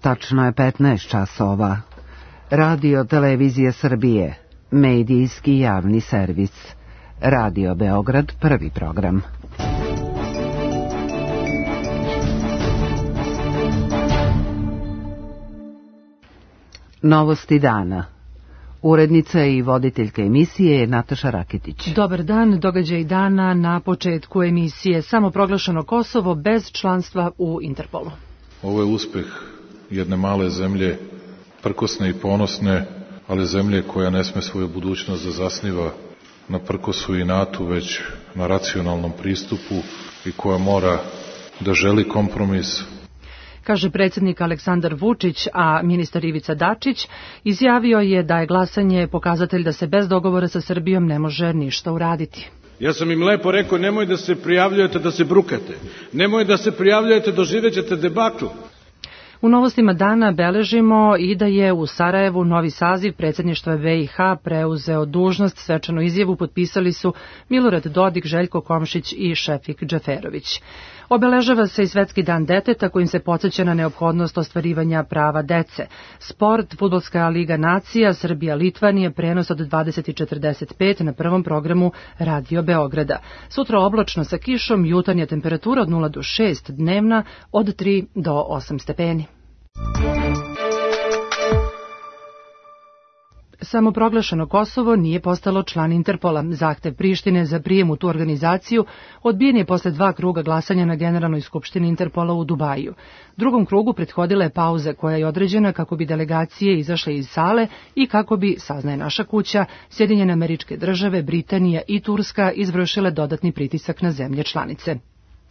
Tačno je 15 časova. Radio Televizija Srbije, medijski javni servis. Radio Beograd, prvi program. Novosti dana. Urednica i voditeljka emisije je Nataša Raketić. Dobar dan, događaj dana na početku emisije. Samoproglašeno Kosovo bez članstva u Interpolu. Ovo je uspeh jedne male zemlje, prkosne i ponosne, ali zemlje koja ne sme svoju budućnost da zasniva na prkosu i inatu, već na racionalnom pristupu i koja mora da želi kompromis. Kaže predsjednik Aleksandar Vučić, a ministar Ivica Dačić izjavio je da je glasanje pokazatelj da se bez dogovora sa Srbijom ne može ništa uraditi. Ja sam im lepo rekao, nemoj da se prijavljujete da se brukate, nemoj da se prijavljujete, doživjet ćete debakl. U novostima dana beležimo i da je u Sarajevu novi saziv predsjedništva BiH preuzeo dužnost. Svečanu izjavu potpisali su Milorad Dodik, Željko Komšić i Šefik Džeferović. Obeležava se i Svetski dan deteta kojim se podsjeća na neophodnost ostvarivanja prava dece. Sport, Fudbalska liga nacija, Srbija-Litvanija, prenos od 20:45 na prvom programu Radio Beograda. Sutra oblačno sa kišom, jutarnja temperatura od 0 do 6, dnevna od 3 do 8 stepeni. Samoproglašeno Kosovo nije postalo član Interpola. Zahtev Prištine za prijem u tu organizaciju odbijen je posle 2 kruga glasanja na Generalnoj skupštini Interpola u Dubaju. Drugom krugu prethodila je pauza koja je određena kako bi delegacije izašle iz sale i kako bi, saznaje naša kuća, Sjedinjene Američke Države, Britanija i Turska izvršile dodatni pritisak na zemlje članice.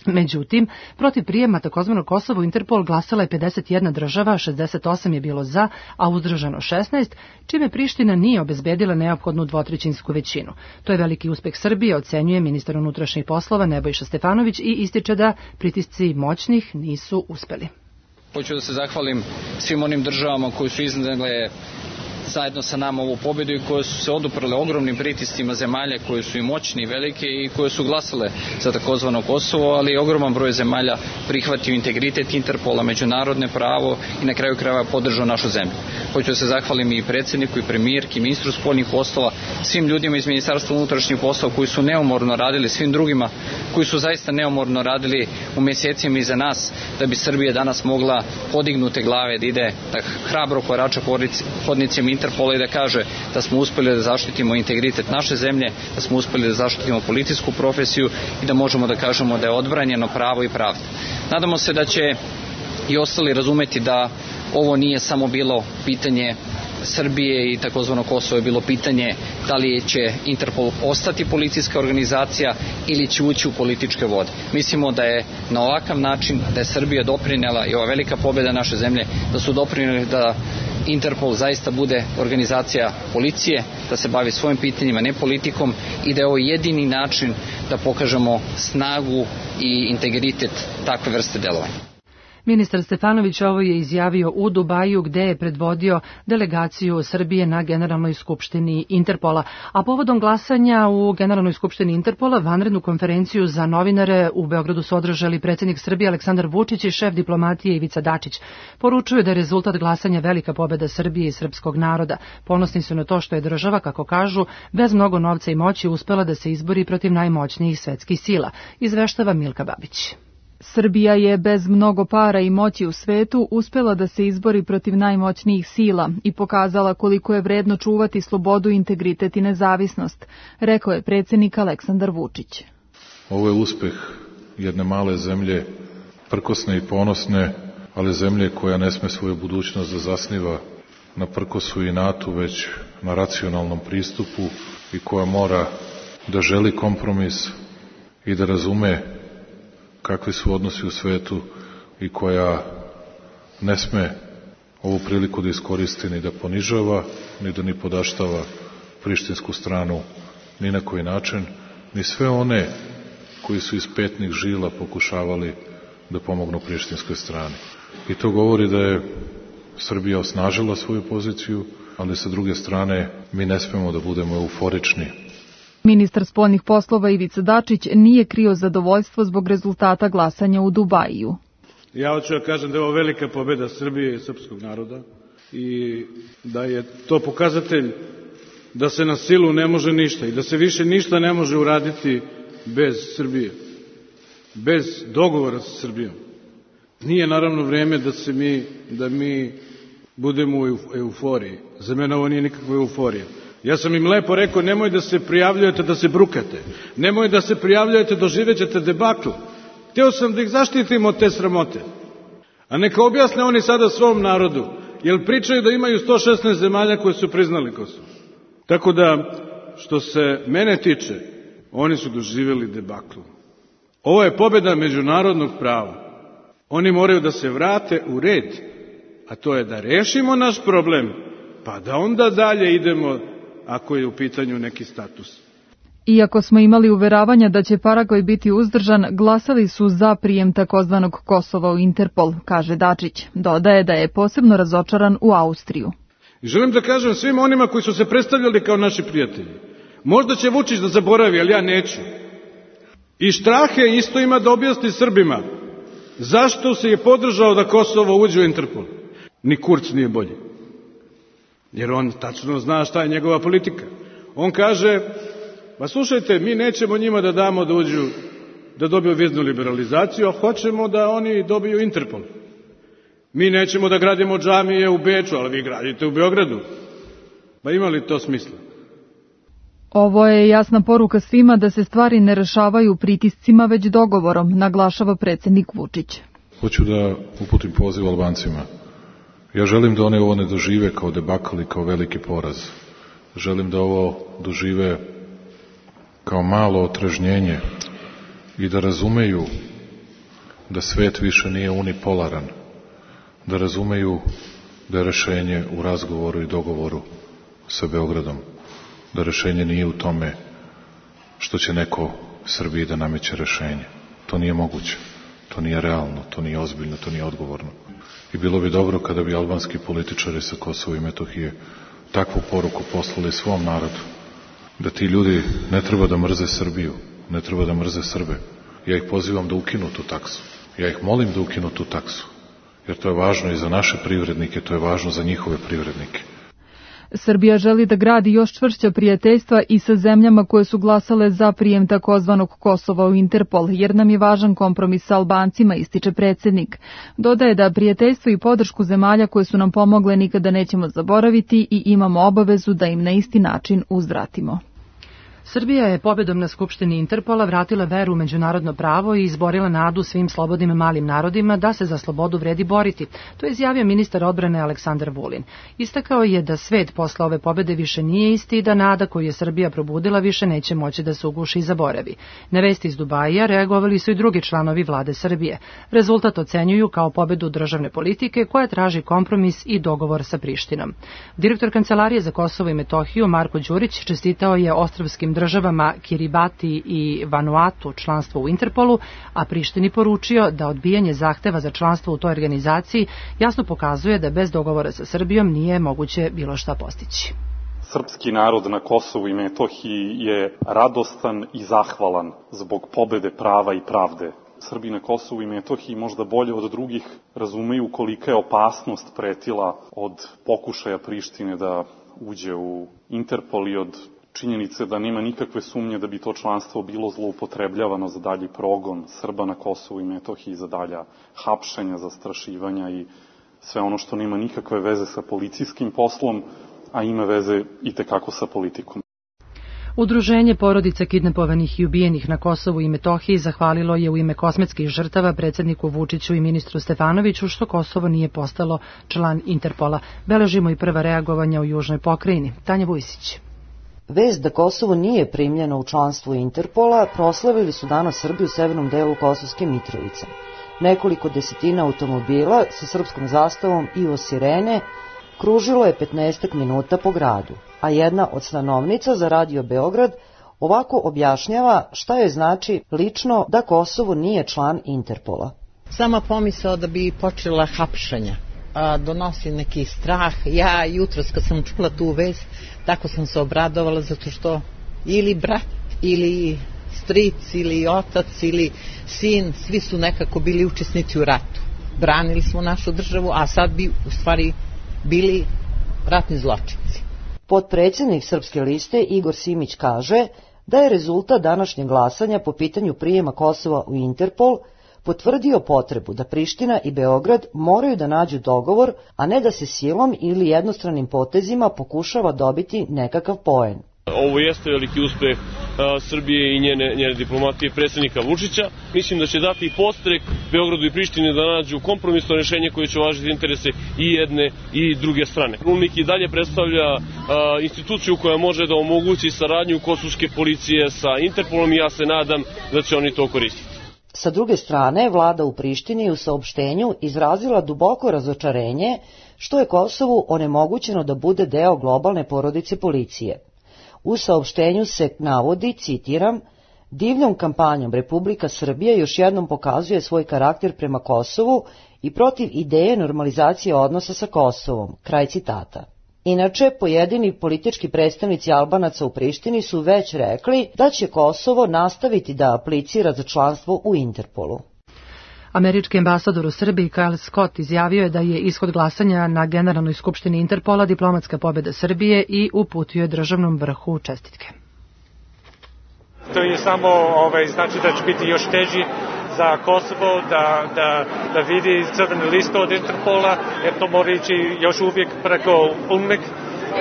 Međutim, protiv prijema takozvanog Kosovo u Interpol glasala je 51 država, 68 je bilo za, a uzdržano 16, čime Priština nije obezbedila neophodnu dvotrećinsku većinu. To je veliki uspeh Srbije, ocenjuje ministar unutrašnjih poslova Nebojša Stefanović i ističe da pritisci moćnih nisu uspeli. Hoću da se zahvalim svim onim državama koji su iznedle zajedno sa nama ovu pobjedu i koje su se oduprle ogromnim pritiscima zemalja koje su i moćni i velike i koje su glasale za takozvano Kosovo, ali ogroman broj zemalja prihvatio integritet Interpola, međunarodne pravo i na kraju krajeva podržao našu zemlju. Hoću da se zahvalim i predsjedniku i premijerki, ministru spoljnih poslova, svim ljudima iz Ministarstva unutrašnjih poslova koji su neumorno radili, svim drugima koji su zaista neumorno radili u mjesecima iza nas da bi Srbija danas mogla podignute glave da ide da hrabro korača hodnicima Interpola i da kaže da smo uspjeli da zaštitimo integritet naše zemlje, da smo uspjeli da zaštitimo policijsku profesiju i da možemo da kažemo da je odbranjeno pravo i pravda. Nadamo se da će i ostali razumeti da ovo nije samo bilo pitanje Srbije i takozvano Kosovo, je bilo pitanje da li će Interpol ostati policijska organizacija ili će ući u političke vode. Mislimo da je na ovakav način, da je Srbija doprinela i ova velika pobjeda naše zemlje, da su doprineli da Interpol zaista bude organizacija policije, da se bavi svojim pitanjima, ne politikom i da je ovo jedini način da pokažemo snagu i integritet takve vrste delovanja. Ministar Stefanović ovo je izjavio u Dubaju gde je predvodio delegaciju Srbije na Generalnoj skupštini Interpola. A povodom glasanja u Generalnoj skupštini Interpola vanrednu konferenciju za novinare u Beogradu su održali predsjednik Srbije Aleksandar Vučić i šef diplomatije Ivica Dačić. Poručuju da je rezultat glasanja velika pobjeda Srbije i srpskog naroda. Ponosni su na to što je država, kako kažu, bez mnogo novca i moći uspela da se izbori protiv najmoćnijih svetskih sila, izveštava Milka Babić. Srbija je bez mnogo para i moći u svetu uspela da se izbori protiv najmoćnijih sila i pokazala koliko je vredno čuvati slobodu, integritet i nezavisnost, rekao je predsjednik Aleksandar Vučić. Ovo je uspeh jedne male zemlje, prkosne i ponosne, ali zemlje koja ne sme svoju budućnost da zasniva na prkosu i inatu, već na racionalnom pristupu i koja mora da želi kompromis i da razume kakvi su odnosi u svetu i koja ne sme ovu priliku da iskoristi ni da ponižava, ni da ni podaštava prištinsku stranu ni na koji način, ni sve one koji su iz petnih žila pokušavali da pomognu prištinskoj strani. I to govori da je Srbija osnažila svoju poziciju, ali sa druge strane mi ne smemo da budemo euforični. Ministar spoljnih poslova Ivica Dačić nije krio zadovoljstvo zbog rezultata glasanja u Dubaju. Ja hoću da kažem da je ovo velika pobeda Srbije i srpskog naroda i da je to pokazatelj da se na silu ne može ništa i da se više ništa ne može uraditi bez Srbije, bez dogovora sa Srbijom. Nije naravno vreme da mi budemo u euforiji. Za mene ovo nije nikakva euforija. Ja sam im lepo rekao, nemoj da se prijavljujete da se brukate. Nemoj da se prijavljujete, doživećete debakl. Hteo sam da ih zaštitim od te sramote. A neka objasne oni sada svom narodu, jer pričaju da imaju 116 zemalja koje su priznali Kosovo. Tako da, što se mene tiče, oni su doživjeli debakl. Ovo je pobjeda međunarodnog prava. Oni moraju da se vrate u red, a to je da rešimo naš problem, pa da onda dalje idemo ako je u pitanju neki status. Iako smo imali uveravanja da će Paragvaj biti uzdržan, glasali su za prijem takozvanog Kosova u Interpol, kaže Dačić. Dodaje da je posebno razočaran u Austriju. I želim da kažem svim onima koji su se predstavljali kao naši prijatelji. Možda će Vučić da zaboravi, ali ja neću. I Štrahe isto ima da objasni Srbima zašto se je podržao da Kosovo uđe u Interpol. Ni Kurz nije bolji. Jer on tačno zna šta je njegova politika. On kaže, pa slušajte, mi nećemo njima da damo da uđu, da dobiju viznu liberalizaciju, a hoćemo da oni dobiju Interpol. Mi nećemo da gradimo džamije u Beču, ali vi gradite u Beogradu. Pa ima li to smisla? Ovo je jasna poruka svima da se stvari ne rešavaju pritiscima, već dogovorom, naglašava predsjednik Vučić. Hoću da uputim poziv Albancima. Ja želim da one ovo ne dožive kao debakl i kao veliki poraz. Želim da ovo dožive kao malo otrežnjenje i da razumeju da svet više nije unipolaran, da razumeju da je rešenje u razgovoru i dogovoru sa Beogradom, da rešenje nije u tome što će neko Srbiji da nameće rešenje. To nije moguće, to nije realno, to nije ozbiljno, to nije odgovorno. I bilo bi dobro kada bi albanski političari sa Kosova i Metohije takvu poruku poslali svom narodu, da ti ljudi ne treba da mrze Srbiju, ne treba da mrze Srbe. Ja ih pozivam da ukinu tu taksu. Ja ih molim da ukinu tu taksu, jer to je važno i za naše privrednike, to je važno za njihove privrednike. Srbija želi da gradi još čvršća prijateljstva i sa zemljama koje su glasale za prijem takozvanog Kosova u Interpol, jer nam je važan kompromis sa Albancima, ističe predsjednik. Dodaje da prijateljstvo i podršku zemalja koje su nam pomogle nikada nećemo zaboraviti i imamo obavezu da im na isti način uzvratimo. Srbija je pobedom na Skupštini Interpola vratila veru u međunarodno pravo i izborila nadu svim slobodnim malim narodima da se za slobodu vredi boriti. To je izjavio ministar odbrane Aleksandar Vulin. Istakao je da svet posle ove pobede više nije isti i da nada koju je Srbija probudila više neće moći da se uguši i zaboravi. Na vesti iz Dubaija reagovali su i drugi članovi vlade Srbije. Rezultat ocenjuju kao pobedu državne politike koja traži kompromis i dogovor sa Prištinom. Direktor Kancelarije za Kosovo i Metohiju Marko Đurić čestitao je ostrvskim državama Kiribati i Vanuatu članstvo u Interpolu, a Prištini poručio da odbijanje zahteva za članstvo u toj organizaciji jasno pokazuje da bez dogovora sa Srbijom nije moguće bilo šta postići. Srpski narod na Kosovu i Metohiji je radostan i zahvalan zbog pobede prava i pravde. Srbi na Kosovu i Metohiji možda bolje od drugih razumeju kolika je opasnost pretila od pokušaja Prištine da uđe u Interpol i od činjenice da nema nikakve sumnje da bi to članstvo bilo zloupotrebljavano za dalji progon Srba na Kosovu i Metohiji, za dalja hapšenja, zastrašivanja i sve ono što nema nikakve veze sa policijskim poslom, a ima veze itekako sa politikom. Udruženje porodica kidnapovanih i ubijenih na Kosovu i Metohiji zahvalilo je u ime kosmetskih žrtava predsjedniku Vučiću i ministru Stefanoviću što Kosovo nije postalo član Interpola. Beležimo i prva reagovanja u južnoj pokrajini. Tanja Vujsić. Vest da Kosovo nije primljeno u članstvo Interpola proslavili su danas Srbi u severnom delu Kosovske Mitrovice. Nekoliko desetina automobila sa srpskom zastavom i o sirene kružilo je 15 minuta po gradu, a jedna od stanovnica za Radio Beograd ovako objašnjava šta joj znači lično da Kosovo nije član Interpola. Sama pomisao da bi počela hapšenja donosi neki strah. Ja jutros kad sam čula tu vest, tako sam se obradovala zato što ili brat, ili stric, ili otac, ili sin, svi su nekako bili učesnici u ratu. branili smo našu državu, a sad bi u stvari bili ratni zločinci. Potpredsjednik Srpske liste Igor Simić kaže da je rezultat današnjeg glasanja po pitanju prijema Kosova u Interpol potvrdio potrebu da Priština i Beograd moraju da nađu dogovor, a ne da se silom ili jednostranim potezima pokušava dobiti nekakav poen. Ovo jeste veliki uspeh Srbije i njene diplomatije predsjednika Vučića. Mislim da će dati podstrek Beogradu i Prištini da nađu kompromisno rješenje koje će uvažiti interese i jedne i druge strane. UNMIK i dalje predstavlja instituciju koja može da omogući saradnju kosovske policije sa Interpolom i ja se nadam da će oni to koristiti. Sa druge strane, vlada u Prištini u saopštenju izrazila duboko razočarenje što je Kosovu onemogućeno da bude deo globalne porodice policije. U saopštenju se navodi, citiram, divljom kampanjom Republika Srbija još jednom pokazuje svoj karakter prema Kosovu i protiv ideje normalizacije odnosa sa Kosovom, kraj citata. Inače, pojedini politički predstavnici Albanaca u Prištini su već rekli da će Kosovo nastaviti da aplicira za članstvo u Interpolu. Američki ambasador u Srbiji Kyle Scott izjavio je da je ishod glasanja na Generalnoj skupštini Interpola diplomatska pobjeda Srbije i uputio je državnom vrhu čestitke. To je samo znači da će biti još teži za Kosovo da vidi crvenu listu od Interpola, jer to mora ići još uvijek preko UNMIK,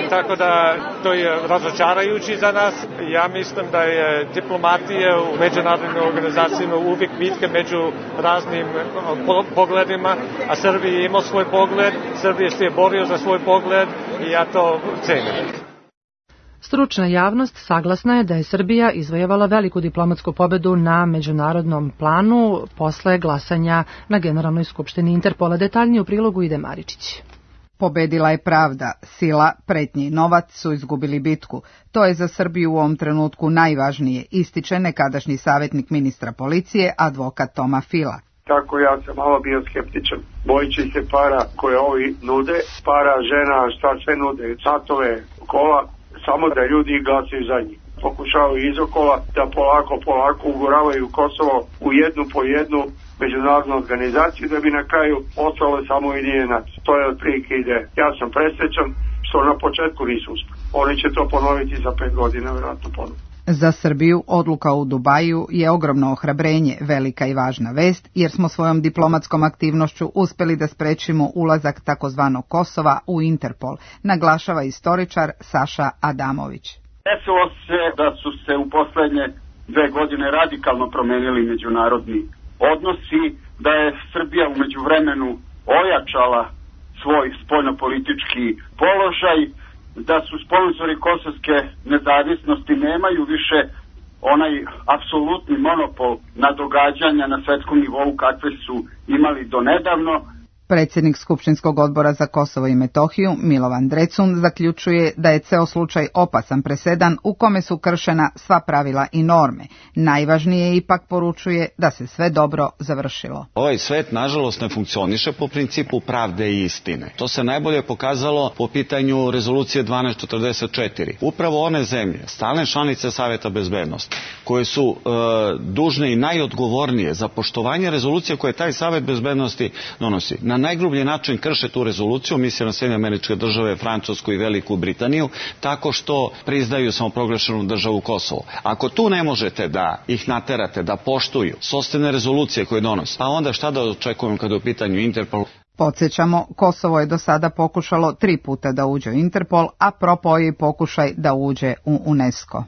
tako da to je razočarajući za nas. Ja mislim da je diplomatija u međunarodnim organizacijama uvijek bitka među raznim pogledima, a Srbija je imao svoj pogled, Srbija se je borio za svoj pogled i ja to cenim. Stručna javnost saglasna je da je Srbija izvojevala veliku diplomatsku pobedu na međunarodnom planu posle glasanja na Generalnoj skupštini Interpola. Detaljnije u prilogu ide Maričić. Pobedila je pravda, sila, pretnje i novac su izgubili bitku. To je za Srbiju u ovom trenutku najvažnije, ističe nekadašnji savjetnik ministra policije, advokat Toma Fila. Tako ja sam malo bio skeptičan. Bojići se para koje ovi nude, para, žena, šta sve nude, satove, kola, samo da ljudi glasaju za njih. Pokušavaju izokola da polako uguravaju Kosovo u jednu po jednu međunarodnu organizaciju da bi na kraju ostalo samo Ujedinjene nacije. To je otprilike ideja. Ja sam presrećan što na početku nisu uspeli. Oni će to ponoviti za 5 godina, vjerojatno ponovno. Za Srbiju odluka u Dubaju je ogromno ohrabrenje, velika i važna vest, jer smo svojom diplomatskom aktivnošću uspeli da sprečimo ulazak takozvanog Kosova u Interpol, naglašava istoričar Saša Adamović. Desilo se da su se u poslednje 2 godine radikalno promenili međunarodni odnosi, da je Srbija u međuvremenu ojačala svoj spoljnopolitički položaj, da su sponzori kosovske nezavisnosti nemaju više onaj apsolutni monopol na događanja na svetskom nivou kakve su imali donedavno. Predsjednik Skupštinskog odbora za Kosovo i Metohiju, Milovan Drecun, zaključuje da je ceo slučaj opasan presedan u kome su kršena sva pravila i norme. Najvažnije ipak poručuje da se sve dobro završilo. Ovaj svet, nažalost, ne funkcioniše po principu pravde i istine. To se najbolje pokazalo po pitanju rezolucije 1244. Upravo one zemlje, stalne članice Saveta bezbednosti, koje su dužne i najodgovornije za poštovanje rezolucije koje taj Savet bezbednosti donosi, na najgrublji način krše tu rezoluciju, misle na Sjedinjene Američke Države, Francusku i Veliku Britaniju, tako što priznaju samoproglašenu državu Kosovo. Ako tu ne možete da ih naterate, da poštuju sopstvene rezolucije koje donose, pa onda šta da očekujemo kada je u pitanju Interpol? Podsjećamo, Kosovo je do sada pokušalo 3 puta da uđe u Interpol, a propao je pokušaj da uđe u UNESCO.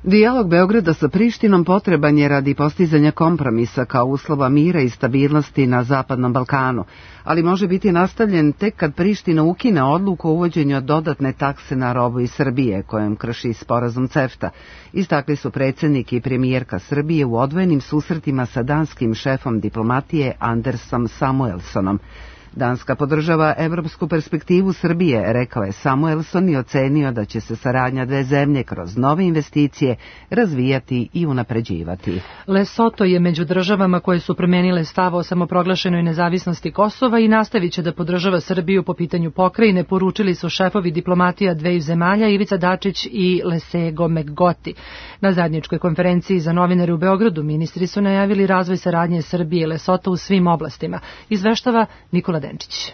Dijalog Beograda sa Prištinom potreban je radi postizanja kompromisa kao uslova mira i stabilnosti na Zapadnom Balkanu, ali može biti nastavljen tek kad Priština ukine odluku o uvođenju dodatne takse na robu iz Srbije, kojom krši sporazum CEFTA. Istakli su predsjednik i premijerka Srbije u odvojenim susretima sa danskim šefom diplomatije Andersom Samuelsonom. Danska podržava evropsku perspektivu Srbije, rekao je Samuelson i ocenio da će se saradnja dve zemlje kroz nove investicije razvijati i unapređivati. Lesoto je među državama koje su promenile stav o samoproglašenoj nezavisnosti Kosova i nastavit će da podržava Srbiju po pitanju pokrajine, poručili su šefovi diplomatija dveju zemalja Ivica Dačić i Lesego Megoti. Na zajedničkoj konferenciji za novinare u Beogradu ministri su najavili razvoj saradnje Srbije i Lesota u svim oblastima. Izveštava Nikola Denčić.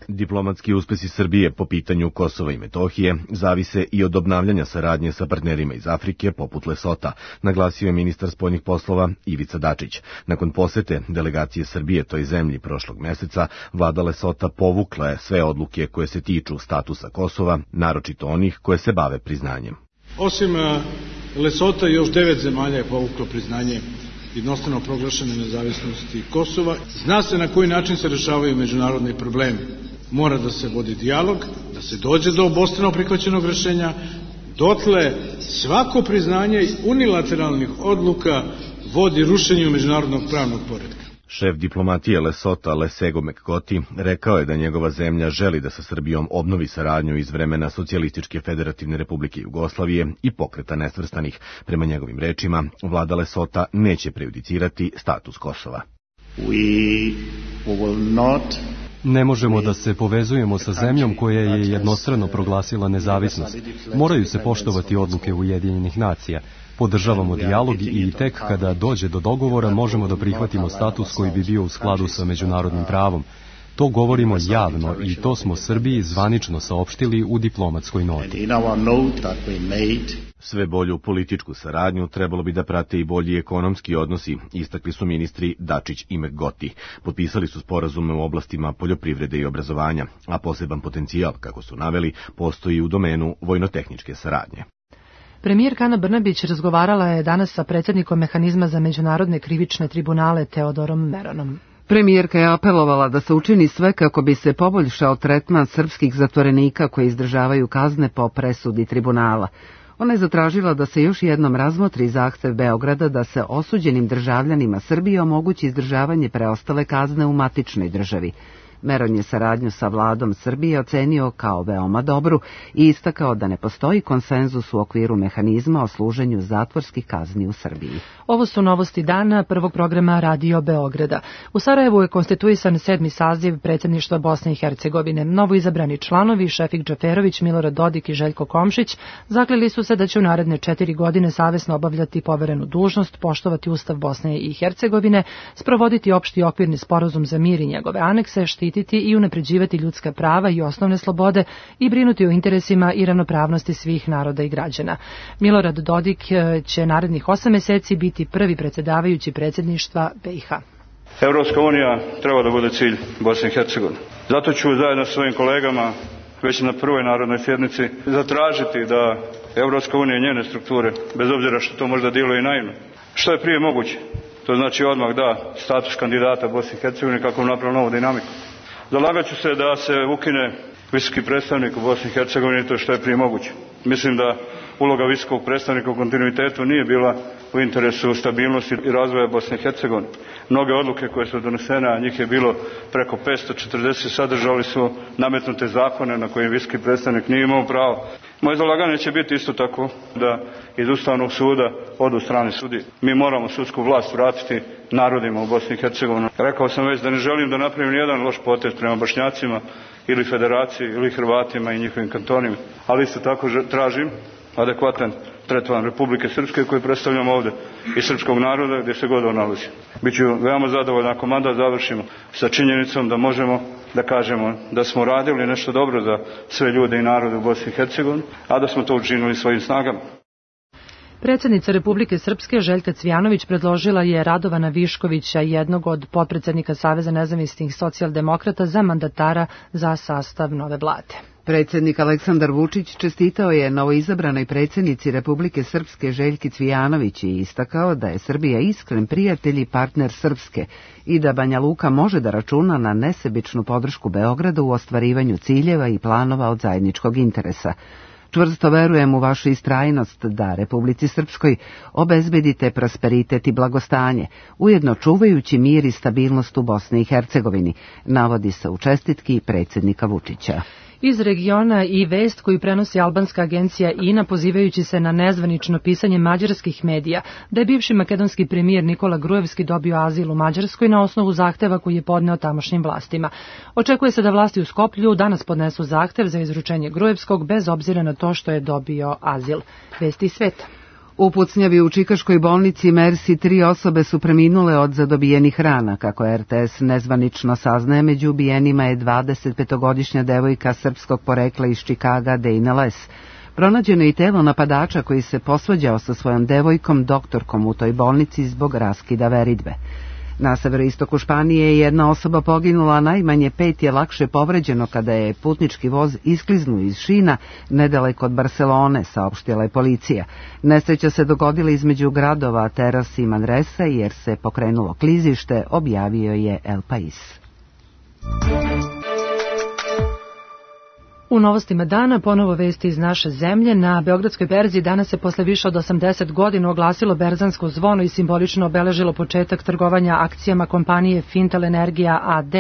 Diplomatski uspesi Srbije po pitanju Kosova i Metohije zavise i od obnavljanja saradnje sa partnerima iz Afrike poput Lesota, naglasio je ministar spoljnih poslova Ivica Dačić. Nakon posete delegacije Srbije toj zemlji prošlog meseca, vlada Lesota povukla je sve odluke koje se tiču statusa Kosova, naročito onih koje se bave priznanjem. Osim Lesota, još 9 zemalja je povuklo priznanje jednostrano proglašene nezavisnosti Kosova. Zna se na koji način se rešavaju međunarodni problemi. Mora da se vodi dijalog, da se dođe do obostrano prihvaćenog rešenja. Dotle svako priznanje unilateralnih odluka vodi rušenju međunarodnog pravnog poretka. Šef diplomatije Lesota Lesego Megoti rekao je da njegova zemlja želi da sa Srbijom obnovi saradnju iz vremena Socijalističke federativne republike Jugoslavije i Pokreta nesvrstanih. Prema njegovim rečima, vlada Lesota neće prejudicirati status Kosova. Ne možemo da se povezujemo sa zemljom koja je jednostrano proglasila nezavisnost. Moraju se poštovati odluke Ujedinjenih nacija. Podržavamo dijalog i tek kada dođe do dogovora možemo da prihvatimo status koji bi bio u skladu sa međunarodnim pravom. To govorimo javno i to smo Srbiji zvanično saopštili u diplomatskoj noti. Sve bolju političku saradnju trebalo bi da prate i bolji ekonomski odnosi, istakli su ministri Dačić i Megoti. Potpisali su sporazume u oblastima poljoprivrede i obrazovanja, a poseban potencijal, kako su naveli, postoji u domenu vojnotehničke saradnje. Premijerka Ana Brnabić razgovarala je danas sa predsjednikom Mehanizma za međunarodne krivične tribunale Teodorom Meronom. Premijerka je apelovala da se učini sve kako bi se poboljšao tretman srpskih zatvorenika koji izdržavaju kazne po presudi tribunala. Ona je zatražila da se još jednom razmotri zahtev Beograda da se osuđenim državljanima Srbije omogući izdržavanje preostale kazne u matičnoj državi. Meron je saradnju sa vladom Srbije ocenio kao veoma dobru i istakao da ne postoji konsenzus u okviru mehanizma o služenju zatvorskih kazni u Srbiji. Ovo su novosti dana prvog programa Radio Beograda. U Sarajevu je konstituisan 7. saziv predsjedništva Bosne i Hercegovine. Novo izabrani članovi Šefik Džaferović, Milorad Dodik i Željko Komšić zakleli su se da će u naredne 4 godine savesno obavljati poverenu dužnost, poštovati Ustav Bosne i Hercegovine, sprovoditi opšti okvirni sporazum za mir i njegove anekse, štititi i unapređivati ljudska prava i osnovne slobode i brinuti o interesima i ravnopravnosti svih naroda i građana. Milorad Dodik će narednih 8 meseci biti prvi predsjedavajući predsjedništva BiH. Evropska unija treba da bude cilj Bosne i Hercegovine. Zato ću zajedno sa svojim kolegama već na prvoj narodnoj sjednici zatražiti da Evropska unija i njene strukture, bez obzira što to možda djeluje i naivno, što je prije moguće. To znači odmah da status kandidata Bosne i Hercegovine kako bi napravio novu dinamiku. Zalagat ću se da se ukine visoki predstavnik u Bosni i Hercegovini, to što je prije moguće. Mislim da uloga visokog predstavnika u kontinuitetu nije bila u interesu stabilnosti i razvoja Bosne i Hercegovine. Mnoge odluke koje su donesene, a njih je bilo preko 540, sadržali su nametnute zakone na kojim visoki predstavnik nije imao pravo. Moje zalaganje će biti isto tako da iz Ustavnog suda odu strane sudije. Mi moramo sudsku vlast vratiti narodima u Bosni i Hercegovini. Rekao sam već da ne želim da napravim nijedan loš potez prema Bošnjacima ili Federaciji ili Hrvatima i njihovim kantonima, ali isto tako tražim adekvatan tretman Republike Srpske koju predstavljamo ovdje i srpskog naroda gdje se god on nalazi. Biću veoma zadovoljan ako mandat završimo sa činjenicom da možemo da kažemo da smo radili nešto dobro za sve ljude i narode u Bosni i Hercegovini, a da smo to učinili svojim snagama. Predsjednica Republike Srpske Željka Cvijanović predložila je Radovana Viškovića, jednog od potpredsjednika Saveza nezavisnih socijaldemokrata, za mandatara za sastav nove vlade. Predsjednik Aleksandar Vučić čestitao je novoizabranoj predsjednici Republike Srpske Željki Cvijanović i istakao da je Srbija iskren prijatelj i partner Srpske i da Banja Luka može da računa na nesebičnu podršku Beograda u ostvarivanju ciljeva i planova od zajedničkog interesa. Čvrsto verujem u vašu istrajnost da Republici Srpskoj obezbedite prosperitet i blagostanje, ujedno čuvajući mir i stabilnost u Bosni i Hercegovini, navodi se u čestitki predsjednika Vučića. Iz regiona i vest koju prenosi albanska agencija INA pozivajući se na nezvanično pisanje mađarskih medija da je bivši makedonski premijer Nikola Grujevski dobio azil u Mađarskoj na osnovu zahteva koji je podneo tamošnjim vlastima. Očekuje se da vlasti u Skoplju danas podnesu zahtev za izručenje Grujevskog bez obzira na to što je dobio azil. Vesti sveta. U pucnjavi u čikaškoj bolnici Mersi 3 osobe su preminule od zadobijenih rana. Kako RTS nezvanično saznaje, među ubijenima je 25-godišnja devojka srpskog porekla iz Čikaga, Dejna Les. Pronađeno je i telo napadača koji se posvađao sa svojom devojkom, doktorkom u toj bolnici zbog raskida veridbe. Na severoistoku Španije je jedna osoba poginula, najmanje 5 je lakše povređeno kada je putnički voz iskliznuo iz šina nedaleko od Barcelone, saopštila je policija. Nesreća se dogodila između gradova Teras i Manresa jer se pokrenulo klizište, objavio je El País. U novostima dana ponovo vesti iz naše zemlje. Na Beogradskoj berzi danas se posle više od 80 godina oglasilo berzansko zvono i simbolično obeležilo početak trgovanja akcijama kompanije Fintel Energija AD.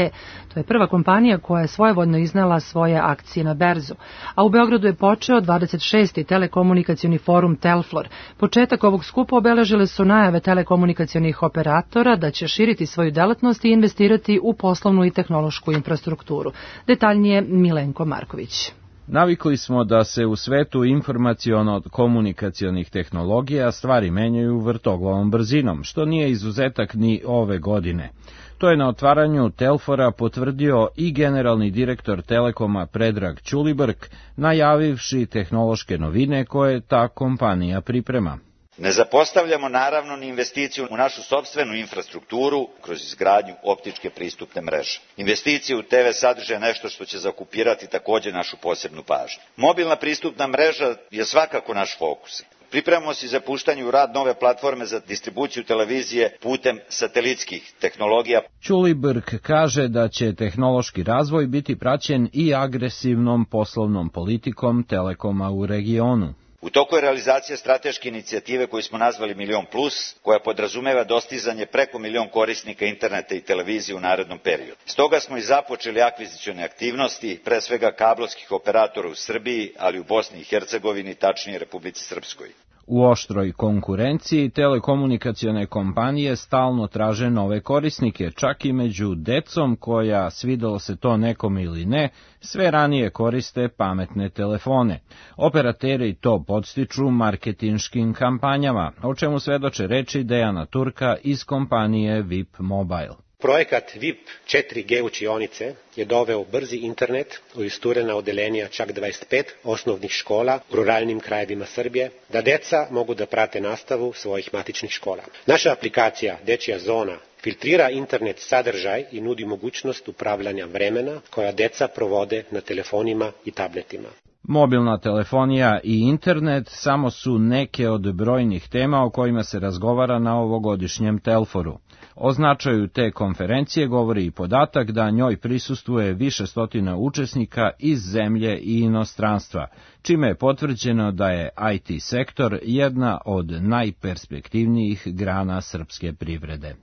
To je prva kompanija koja je svojevoljno iznela svoje akcije na berzu. A u Beogradu je počeo 26. telekomunikacioni forum Telflor. Početak ovog skupa obeležile su najave telekomunikacionih operatora da će širiti svoju delatnost i investirati u poslovnu i tehnološku infrastrukturu. Detaljnije Milenko Marković. Navikli smo da se u svetu informaciono-komunikacionih tehnologija stvari menjaju vrtoglavom brzinom, što nije izuzetak ni ove godine. To je na otvaranju Telfora potvrdio i generalni direktor Telekoma Predrag Ćulibrk, najavivši tehnološke novine koje ta kompanija priprema. Ne zapostavljamo naravno ni investiciju u našu sopstvenu infrastrukturu kroz izgradnju optičke pristupne mreže. Investicije u TV sadrže nešto što će zakupirati također našu posebnu pažnju. Mobilna pristupna mreža je svakako naš fokus. Pripremamo se za puštanje u rad nove platforme za distribuciju televizije putem satelitskih tehnologija. Ćulibrk kaže da će tehnološki razvoj biti praćen i agresivnom poslovnom politikom Telekoma u regionu. U toku je realizacija strateške inicijative koju smo nazvali Milion Plus, koja podrazumeva dostizanje preko 1 milion korisnika interneta i televizije u narednom periodu. Stoga smo i započeli akvizicione aktivnosti, pre svega kablovskih operatora u Srbiji, ali u Bosni i Hercegovini, tačnije Republici Srpskoj. U oštroj konkurenciji telekomunikacione kompanije stalno traže nove korisnike, čak i među decom koja, svidelo se to nekom ili ne, sve ranije koriste pametne telefone. Operateri to podstiču marketinškim kampanjama, o čemu svedoče reči Dejana Turka iz kompanije VIP Mobile. Projekat VIP 4G učionice je doveo brzi internet u isturena odelenja čak 25 osnovnih škola u ruralnim krajevima Srbije, da deca mogu da prate nastavu svojih matičnih škola. Naša aplikacija Dečija zona filtrira internet sadržaj i nudi mogućnost upravljanja vremena koja deca provode na telefonima i tabletima. Mobilna telefonija i internet samo su neke od brojnih tema o kojima se razgovara na ovogodišnjem Telforu. O značaju te konferencije govori i podatak da njoj prisustvuje više stotina učesnika iz zemlje i inostranstva, čime je potvrđeno da je IT sektor jedna od najperspektivnijih grana srpske privrede.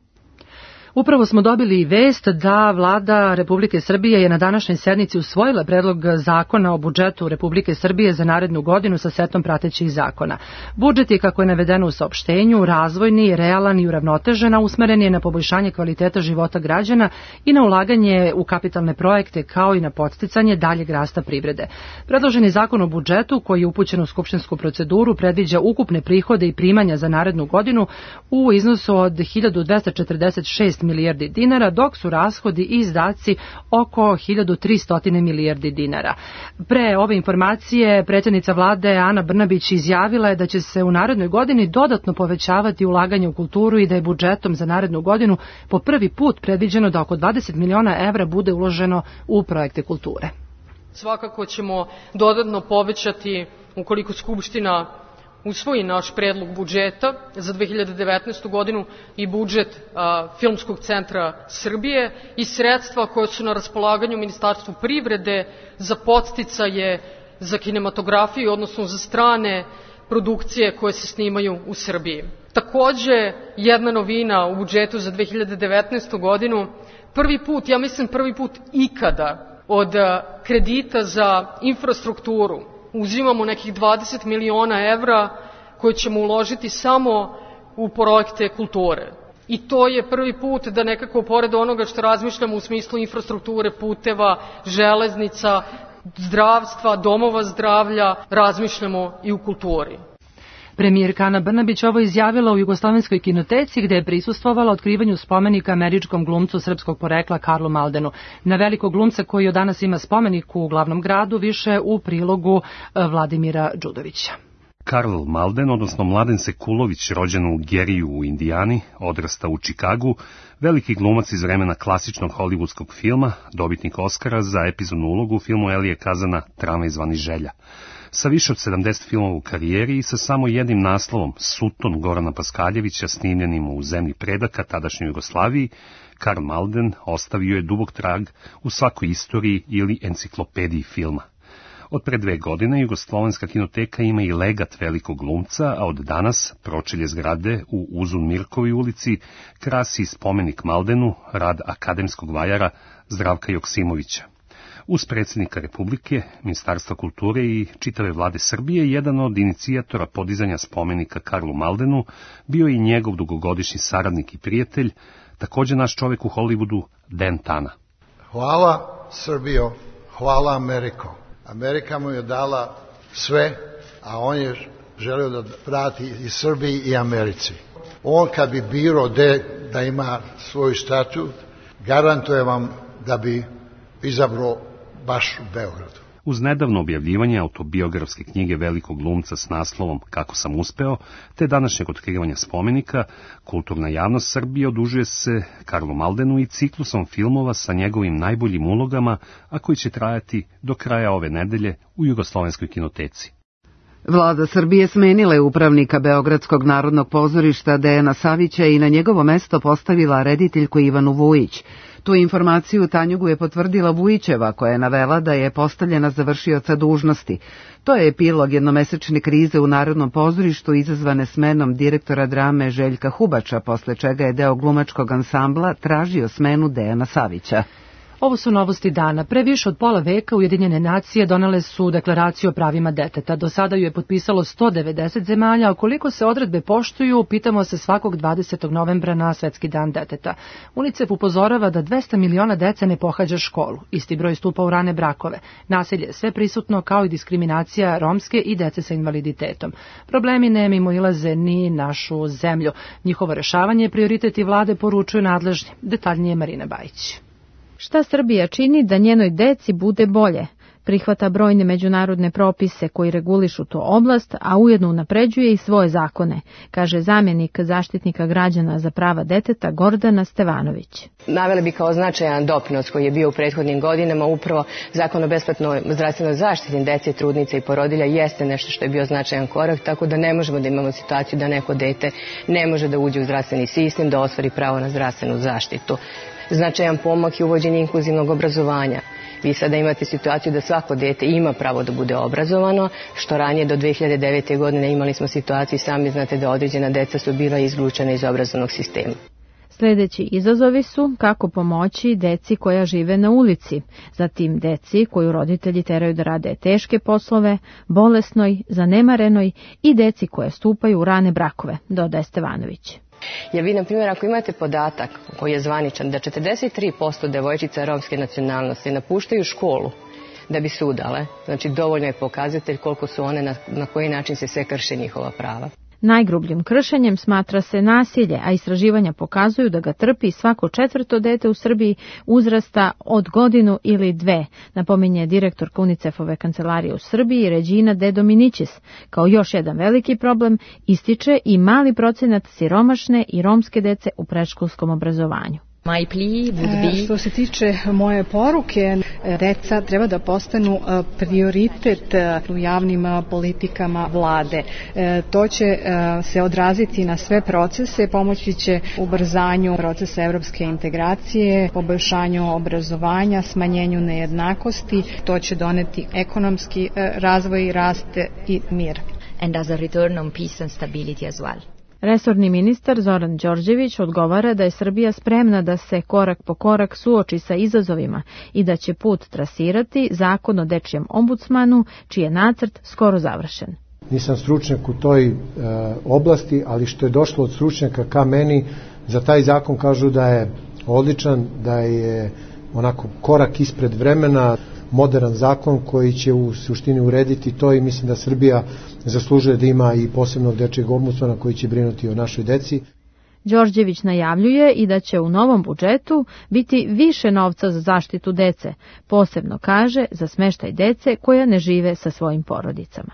Upravo smo dobili vest da Vlada Republike Srbije je na današnjoj sednici usvojila predlog zakona o budžetu Republike Srbije za narednu godinu sa setom pratećih zakona. Budžet je, kako je navedeno u saopštenju, razvojni, realan i uravnotežen, a usmeren je na poboljšanje kvaliteta života građana i na ulaganje u kapitalne projekte, kao i na podsticanje daljeg rasta privrede. Predloženi zakon o budžetu, koji je upućen u skupštinsku proceduru, predviđa ukupne prihode i primanja za narednu godinu u iznosu od 1246 milijardi dinara, dok su rashodi i izdaci oko 1300 milijardi dinara. Pre ove informacije predsjednica vlade Ana Brnabić izjavila je da će se u narednoj godini dodatno povećavati ulaganje u kulturu i da je budžetom za narednu godinu po prvi put predviđeno da oko 20 miliona evra bude uloženo u projekte kulture. Svakako ćemo dodatno povećati, ukoliko Skupština usvoji naš predlog budžeta za 2019. godinu, i budžet Filmskog centra Srbije i sredstva koje su na raspolaganju Ministarstvu privrede za podsticaje za kinematografiju, odnosno za strane produkcije koje se snimaju u Srbiji. Takođe, jedna novina u budžetu za 2019. godinu, prvi put ikada od kredita za infrastrukturu uzimamo nekih 20 miliona evra koje ćemo uložiti samo u projekte kulture. I to je prvi put da nekako pored onoga što razmišljamo u smislu infrastrukture, puteva, železnica, zdravstva, domova zdravlja, razmišljamo i u kulturi. Premijerka Ana Brnabić ovo izjavila u Jugoslovenskoj kinoteci gde je prisustvovala otkrivanju spomenika američkom glumcu srpskog porekla Karlu Maldenu. Na velikog glumca koji od danas ima spomenik u glavnom gradu, više u prilogu Vladimira Đudovića. Karl Malden, odnosno Mladen Sekulović, rođen u Geriju u Indijani, odrasta u Čikagu, veliki glumac iz vremena klasičnog hollywoodskog filma, dobitnik Oskara za epizodnu ulogu u filmu Elije Kazana Tramvaj zvani Želja. Sa više od 70 filmova u karijeri i sa samo jednim naslovom Sutton Gorana Paskaljevića snimljenim u zemlji predaka tadašnjoj Jugoslaviji, Karl Malden ostavio je dubok trag u svakoj istoriji ili enciklopediji filma. Od pre 2 godine Jugoslovenska kinoteka ima i legat velikog glumca, a od danas pročelje zgrade u Uzun Mirkovi ulici krasi spomenik Maldenu, rad akademskog vajara Zdravka Joksimovića. Uz predsjednika Republike, Ministarstva kulture i čitave vlade Srbije, jedan od inicijatora podizanja spomenika Karlu Maldenu bio i njegov dugogodišnji saradnik i prijatelj, također naš čovjek u Hollywoodu, Dan Tana. Hvala Srbijo, hvala Ameriko. Amerika mu je dala sve, a on je želio da vrati i Srbiji i Americi. On kad bi birao da ima svoj statut, garantuje vam da bi izabrao baš u Beogradu. Uz nedavno objavljivanje autobiografske knjige velikog glumca s naslovom Kako sam uspeo, te današnjeg otkrivanja spomenika, kulturna javnost Srbije odužuje se Karlu Maldenu i ciklusom filmova sa njegovim najboljim ulogama, a koji će trajati do kraja ove nedelje u Jugoslovenskoj kinoteci. Vlada Srbije smenila je upravnika Beogradskog narodnog pozorišta Dejana Savića i na njegovo mesto postavila rediteljku Ivanu Vujić. Tu informaciju Tanjugu je potvrdila Vujićeva, koja je navela da je postavljena za vršioca dužnosti. To je epilog jednomesečne krize u Narodnom pozorištu izazvane smenom direktora drame Željka Hubača, posle čega je deo glumačkog ansambla tražio smenu Dejana Savića. Ovo su novosti dana. Pre više od pola veka Ujedinjene nacije donele su deklaraciju o pravima deteta. Do sada ju je potpisalo 190 zemalja, a koliko se odredbe poštuju, pitamo se svakog 20. novembra na Svetski dan deteta. UNICEF upozorava da 200 miliona dece ne pohađa školu. Isti broj stupa u rane brakove. Nasilje je sve prisutno, kao i diskriminacija romske i dece sa invaliditetom. Problemi ne mimoilaze ni našu zemlju. Njihovo rešavanje je prioritet i vlade, poručuju nadležni. Detaljnije Marina Bajić. Šta Srbija čini da njenoj deci bude bolje? Prihvata brojne međunarodne propise koji regulišu tu oblast, a ujedno unapređuje i svoje zakone, kaže zamjenik zaštitnika građana za prava deteta Gordana Stevanović. Naveli bi kao značajan doprinos koji je bio u prethodnim godinama upravo Zakon o besplatnoj zdravstvenoj zaštiti dece, trudnice i porodilja jeste nešto što je bio značajan korak, tako da ne možemo da imamo situaciju da neko dete ne može da uđe u zdravstveni sistem, da ostvari pravo na zdravstvenu zaštitu. Značajan pomak je uvođenje inkluzivnog obrazovanja. Vi sada imate situaciju da svako dete ima pravo da bude obrazovano, što ranije do 2009. godine imali smo situaciju, sami znate da određena deca su bila izlučena iz obrazovnog sistema. Sljedeći izazovi su kako pomoći deci koja žive na ulici, zatim deci koju roditelji teraju da rade teške poslove, bolesnoj, zanemarenoj i deci koje stupaju u rane brakove, dodaje Stevanović. Jer vi, na primjer, ako imate podatak koji je zvaničan da 43% devojčica romske nacionalnosti napuštaju školu da bi se udale, znači dovoljno je pokazatelj koliko su one, na koji način se sve krše njihova prava. Najgrubljim kršenjem smatra se nasilje, a istraživanja pokazuju da ga trpi svako 4. dete u Srbiji uzrasta od godinu ili 2, napominje direktorka UNICEF-ove kancelarije u Srbiji Regina De Dominicis. Kao još jedan veliki problem ističe i mali procenat siromašne i romske dece u predškolskom obrazovanju. My plea would be... Što se tiče moje poruke, deca treba da postanu prioritet u javnim politikama vlade. To će se odraziti na sve procese, pomoći će ubrzanju procesa evropske integracije, poboljšanju obrazovanja, smanjenju nejednakosti, to će doneti ekonomski razvoj, rast i mir. And as a return on peace and stability as well. Resorni ministar Zoran Đorđević odgovara da je Srbija spremna da se korak po korak suoči sa izazovima i da će put trasirati zakon o dečijem ombudsmanu, čiji je nacrt skoro završen. Nisam stručnjak u toj oblasti, ali što je došlo od stručnjaka ka meni, za taj zakon kažu da je odličan, da je onako korak ispred vremena, moderan zakon koji će u suštini urediti to i mislim da Srbija zaslužuje da ima i posebnog dečijeg ombudsmana koji će brinuti o našoj deci. Đorđević najavljuje i da će u novom budžetu biti više novca za zaštitu dece, posebno kaže za smeštaj dece koja ne žive sa svojim porodicama.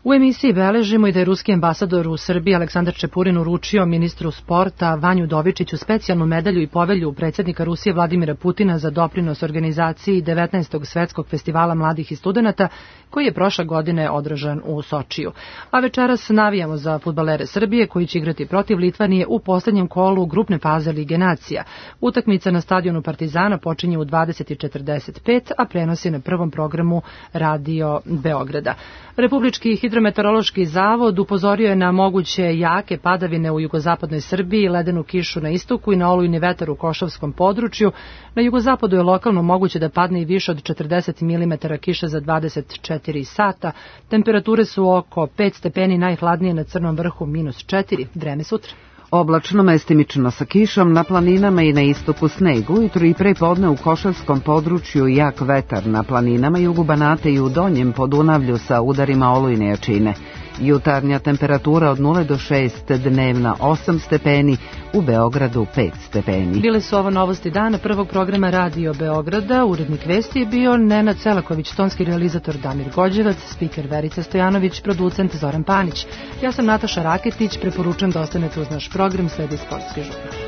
U emisiji beležimo i da je ruski ambasador u Srbiji Aleksandar Čepurin uručio ministru sporta Vanju Dovičiću specijalnu medalju i povelju predsjednika Rusije Vladimira Putina za doprinos organizaciji 19. svetskog festivala mladih i studenata koji je prošle godine održan u Sočiju. A večeras navijamo za fudbalere Srbije koji će igrati protiv Litvanije u poslednjem kolu grupne faze Lige nacija. Utakmica na stadionu Partizana počinje u 20:45, a prenos je na prvom programu Radio Beograda. Republički hidrometeorološki zavod upozorio je na moguće jake padavine u jugozapadnoj Srbiji, ledenu kišu na istoku i na olujni vetar u Košavskom području. Na jugozapadu je lokalno moguće da padne i više od 40 mm kiše za 24 sata. Temperature su oko 5 stepeni, najhladnije na Crnom vrhu -4. Vreme sutra. Oblačno, mestimično sa kišom, na planinama i na istoku sneg. Ujutru i pre podne u Košavskom području jak vetar, na planinama jugu Banata i u Donjem Podunavlju sa udarima olujne jačine. Jutarnja temperatura od 0 do 6, dnevna 8 stepeni, u Beogradu 5 stepeni. Bile su ovo novosti dana prvog programa Radio Beograda. Urednik vesti je bio Nenad Selaković, tonski realizator Damir Gođevac, spiker Verica Stojanović, producent Zoran Panić. Ja sam Nataša Raketić, preporučujem da ostanete uz naš program, sledi sportski žurnal.